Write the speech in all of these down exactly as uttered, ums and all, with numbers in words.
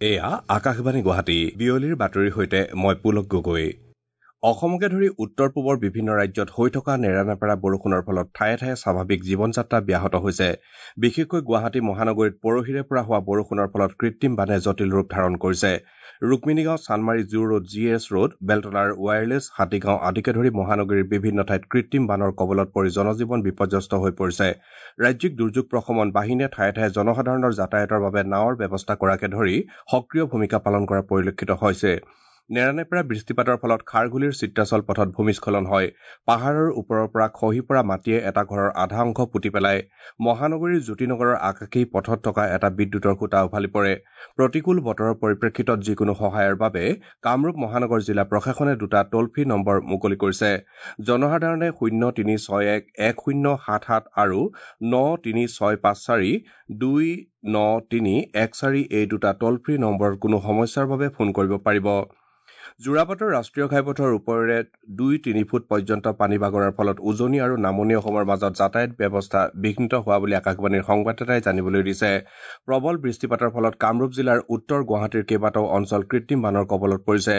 এয়া আকাশবাণী গুৱাহাটী। বিয়লিৰ বাতৰিৰ সৈতে মই পুলক গগৈ। অসমকে ধৰি উত্তৰ পূবৰ বিভিন্ন ৰাজ্যত হৈ থকা নেৰানেপেৰা বৰষুণৰ ফলত ঠায়ে ঠায়ে স্বাভাৱিক জীৱন যাত্ৰা ব্যাহত হৈছে। বিশেষকৈ গুৱাহাটী মহানগৰীত পৰহিৰে পৰা হোৱা বৰষুণৰ ফলত কৃত্ৰিম বানে জটিল ৰূপ ধাৰণ কৰিছে। Rukminigaon, Chandmari, zoo road, G S road, বেলতলাৰ wireless, Hatigaon আদিকে ধৰি মহানগৰীৰ বিভিন্ন ঠাইত কৃত্ৰিম বানৰ কবলত পৰি জনজীৱন বিপৰ্যস্ত হৈ পৰিছে। ৰাজ্যিক দুৰ্যোগ প্ৰশমন বাহিনীয়ে ঠায়ে ঠায়ে জনসাধাৰণৰ যাতায়াতৰ বাবে নাৱৰ ব্যৱস্থা কৰাকে ধৰি সক্ৰিয় ভূমিকা পালন কৰা পৰিলক্ষিত হৈছে। নেৰানেপেৰা বৃষ্টিপাতৰ ফলত খাৰঘুলিৰ চিত্ৰাচল পথত ভূমিস্খলন হয়। পাহাৰৰ ওপৰৰ পৰা খহি পৰা মাটিয়ে এটা ঘৰৰ আধা অংশ পুতি পেলায়। মহানগৰীৰ জ্যোতিনগৰৰ আকাশী পথত থকা এটা বিদ্যুতৰ খুঁটা উভালি পৰে। প্ৰতিকূল বতৰৰ পৰিপ্ৰেক্ষিতত যিকোনো সহায়ৰ বাবে কামৰূপ মহানগৰ জিলা প্ৰশাসনে দুটা টোল ফ্ৰী নম্বৰ মুকলি কৰিছে। জনসাধাৰণে শূন্য তিনি ছয় এক এক শূন্য সাত সাত আৰু ন তিনি ছয় পাঁচ চাৰি দুই ন তিনি এক চাৰি এই দুটা টোল ফ্ৰী নম্বৰত কোনো সমস্যাৰ বাবে ফোন কৰিব পাৰিব। যোৰাবাটৰ ৰাষ্ট্ৰীয় ঘাইপথৰ ওপৰেৰে দুই তিনি ফুট পৰ্যন্ত পানী বাগৰাৰ ফলত উজনি আৰু নামনি অসমৰ মাজত যাতায়াত ব্যৱস্থা বিঘ্নিত হোৱা বুলি আকাশবাণীৰ সংবাদদাতাই জানিবলৈ দিছে। প্ৰবল বৃষ্টিপাতৰ ফলত কামৰূপ জিলাৰ উত্তৰ গুৱাহাটীৰ কেইবাটাও অঞ্চল কৃত্ৰিম বানৰ কবলত পৰিছে।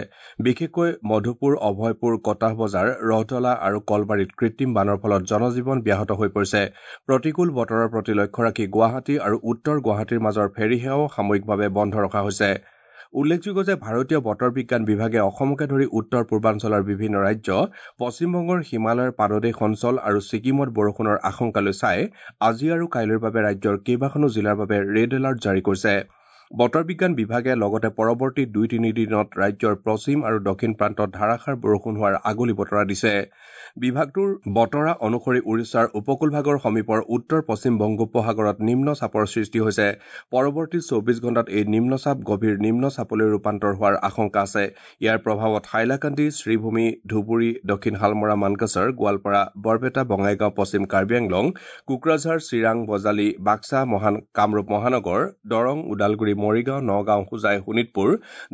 বিশেষকৈ মধুপুৰ, অভয়পুৰ, কটাহ বজাৰ, ৰহদলা আৰু কলবাৰীত কৃত্ৰিম বানৰ ফলত জনজীৱন ব্যাহত হৈ পৰিছে। প্ৰতিকূল বতৰৰ প্ৰতি লক্ষ্য ৰাখি গুৱাহাটী আৰু উত্তৰ গুৱাহাটীৰ মাজৰ ফেৰী সেৱাও সাময়িকভাৱে বন্ধ ৰখা হৈছে। উল্লেখযোগ্য যে ভাৰতীয় বতৰ বিজ্ঞান বিভাগে অসমকে ধৰি উত্তৰ পূৰ্বাঞ্চলৰ বিভিন্ন ৰাজ্য, পশ্চিমবংগৰ হিমালয়ৰ পাদদেশ অঞ্চল আৰু ছিকিমত বৰষুণৰ আশংকালৈ চাই আজি আৰু কাইলৈৰ বাবে ৰাজ্যৰ কেইবাখনো জিলাৰ বাবে ৰেড এলাৰ্ট জাৰি কৰিছে। বতৰ বিজ্ঞান বিভাগে লগতে পৰৱৰ্তী দুই তিনি দিনত ৰাজ্যৰ পশ্চিম আৰু দক্ষিণ প্ৰান্তত ধাৰাসাৰ বৰষুণ হোৱাৰ আগলি বতৰা দিছে। বিভাগটোৰ বতৰা অনুসৰি উৰিষ্যাৰ উপকূলভাগৰ সমীপৰ উত্তৰ পশ্চিম বংগোপসাগৰত নিম্ন চাপৰ সৃষ্টি হৈছে। পৰৱৰ্তী চৌবিশ ঘণ্টাত এই নিম্নচাপ গভীৰ নিম্ন চাপলৈ ৰূপান্তৰ হোৱাৰ আশংকা আছে। ইয়াৰ প্ৰভাৱত হাইলাকান্দি, শ্ৰীভূমি, ধুবুৰী, দক্ষিণ শালমৰা, মানকাছাৰ, গোৱালপাৰা, বৰপেটা, বঙাইগাঁও, পশ্চিম কাৰ্বি আংলং, কোকৰাঝাৰ, চিৰাং, বজালী, বাক্সা, মহান কামৰূপ মহানগৰ, দৰং, ওদালগুৰি, মৰিগাঁও, নগাঁও, হোজাই, শোণিতপুৰ,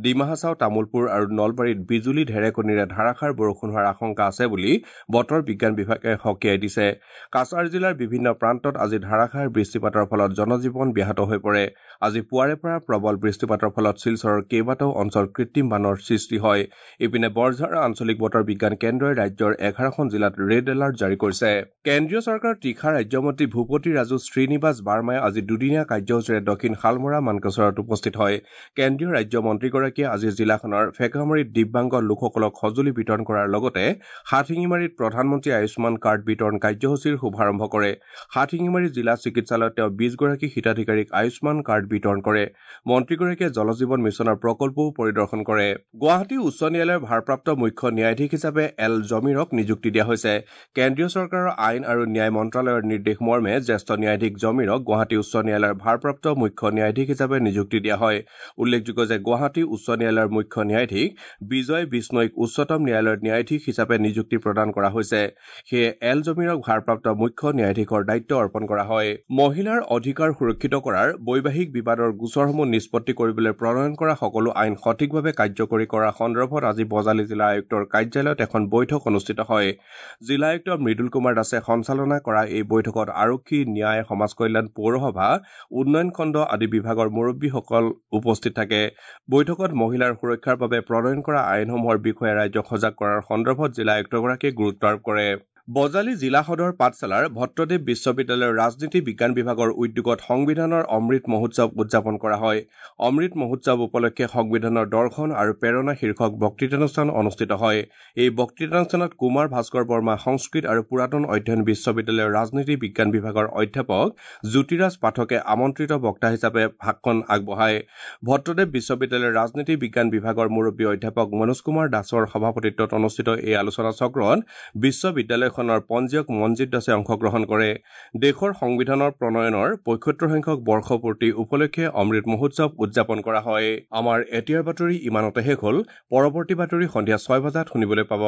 ডিমা হাছাও, তামুলপুৰ আৰু নলবাৰীত বিজুলী ঢেৰেকনিৰে ধাৰাসাৰ বৰষুণ হোৱাৰ আশংকা আছে বুলি বতৰ বিজ্ঞান বিভাগে সকীয়াই দিছে। কাছাৰ জিলাৰ বিভিন্ন প্ৰান্তত আজি ধাৰাসাৰ বৃষ্টিপাতৰ ফলত জনজীৱন ব্যাহত হৈ পৰে। আজি পুৱাৰে পৰা প্ৰবল বৃষ্টিপাতৰ ফলত শিলচৰৰ কেইবাটাও অঞ্চল কৃত্ৰিম বানৰ সৃষ্টি হয়। ইপিনে বৰঝাৰ আঞ্চলিক বতৰ বিজ্ঞান কেন্দ্ৰই ৰাজ্যৰ এঘাৰখন জিলাত ৰেড এলাৰ্ট জাৰি কৰিছে। কেন্দ্ৰীয় চৰকাৰৰ তীখা ৰাজ্যমন্ত্ৰী ভূপতি ৰাজু শ্ৰীনিবাস বাৰ্মাই আজি দুদিনীয়া কাৰ্যসূচীৰে দক্ষিণ শালমৰা মানকাচৰত উপস্থিত হয়। কেন্দ্ৰীয় ৰাজ্য মন্ত্ৰীগৰাকীয়ে আজি জিলাখনৰ ফেকামাৰীত দিব্যাংগ লোকসকলক সঁজুলি বিতৰণ কৰাৰ লগতে হাটশিঙিমাৰীত প্ৰধানমন্ত্ৰী আয়ুষ্মান কাৰ্ড বিতৰণ কাৰ্যসূচীৰ শুভাৰম্ভ কৰে। হাটশিঙিমাৰী জিলা চিকিৎসালয়ত তেওঁ বিশগৰাকী হিতাধিকাৰীক আয়ুষ্মান কাৰ্ড বিতৰণ কৰে। মন্ত্ৰীগৰাকীয়ে জলজীৱন মিছনৰ প্ৰকল্পও পৰিদৰ্শন কৰে। গুৱাহাটী উচ্চ ন্যায়ালয়ৰ ভাৰপ্ৰাপ্ত মুখ্য ন্যায়াধীশ হিচাপে এল জমিৰক নিযুক্তি দিয়া হৈছে। কেন্দ্ৰীয় চৰকাৰৰ আইন আৰু ন্যায় মন্ত্ৰালয়ৰ নিৰ্দেশ মৰ্মে জ্যেষ্ঠ ন্যায়াধীশ জমিৰক গুৱাহাটী উচ্চ ন্যায়ালয়ৰ ভাৰপ্ৰাপ্ত মুখ্য ন্যায়াধীশ হিচাপে নিযুক্তি দিয়া হয়। উল্লেখযোগ্য যে গুৱাহাটী উচ্চ ন্যায়ালয়ৰ মুখ্য ন্যায়াধীশ বিজয় বিষ্ণৈক উচ্চতম ন্যায়ালয়ৰ ন্যায়াধীশ হিচাপে নিযুক্তি প্ৰদান কৰা হৈছে। সেয়ে এল জমিৰক ভাৰপ্ৰাপ্ত মুখ্য ন্যায়াধীশৰ দায়িত্ব অৰ্পণ কৰা হয়। মহিলাৰ অধিকাৰ সুৰক্ষিত কৰাৰ, বৈবাহিক বিবাদৰ গোচৰসমূহ নিষ্পত্তি কৰিবলৈ প্ৰণয়ন কৰা সকলো আইন সঠিকভাৱে কাৰ্যকৰী কৰাৰ সন্দৰ্ভত আজি বজালী জিলা আয়ুক্তৰ কাৰ্যালয়ত এখন বৈঠক অনুষ্ঠিত হয়। জিলা আয়ুক্ত মৃদুল কুমাৰ দাসে সঞ্চালনা কৰা এই বৈঠকত আৰক্ষী, ন্যায়, সমাজ কল্যাণ, পৌৰসভা, উন্নয়ন খণ্ড আদি বিভাগৰ মুৰব্বীসকল উপস্থিত থাকে। বৈঠকত মহিলাৰ সুৰক্ষাৰ বাবে প্ৰণয়ন কৰা আইনসমূহৰ বিষয়ে ৰাইজক সজাগ কৰাৰ সন্দৰ্ভত জিলা আয়ুক্তগৰাকীয়ে গুৰুত্ব আৰোপ কৰে। বজালী জিলা সদৰ পাঠশালাৰ ভট্টদেৱ বিশ্ববিদ্যালয়ৰ ৰাজনীতি বিজ্ঞান বিভাগৰ উদ্যোগত সংবিধানৰ অমৃত মহোৎসৱ উদযাপন কৰা হয়। অমৃত মহোৎসৱ উপলক্ষে সংবিধানৰ দৰ্শন আৰু প্ৰেৰণা শীৰ্ষক বক্তৃতানুষ্ঠান অনুষ্ঠিত হয়। এই বক্তৃতানুষ্ঠানত কুমাৰ ভাস্কৰ বৰ্মা সংস্কৃত আৰু পুৰাতন অধ্যয়ন বিশ্ববিদ্যালয়ৰ ৰাজনীতি বিজ্ঞান বিভাগৰ অধ্যাপক জ্যোতিৰাজ পাঠকে আমন্ত্ৰিত বক্তা হিচাপে ভাষণ আগবঢ়ায়। ভট্টদেৱ বিশ্ববিদ্যালয়ৰ ৰাজনীতি বিজ্ঞান বিভাগৰ মুৰব্বী অধ্যাপক মনোজ কুমাৰ দাসৰ সভাপতিত্বত অনুষ্ঠিত এই আলোচনা চক্ৰত বিশ্ববিদ্যালয়খনৰ পঞ্জীয়ক মনজিৎ দাসে অংশগ্ৰহণ কৰে। দেশৰ সংবিধানৰ প্ৰণয়নৰ পঁয়সত্তৰ সংখ্যক বৰ্ষপূৰ্তি উপলক্ষে অমৃত মহোৎসৱ উদযাপন কৰা হয়। আমাৰ এতিয়াৰ বাতৰি ইমানতে শেষ হ'ল। পৰৱৰ্তী বাতৰি সন্ধিয়া ছয় বজাত শুনিবলৈ পাব।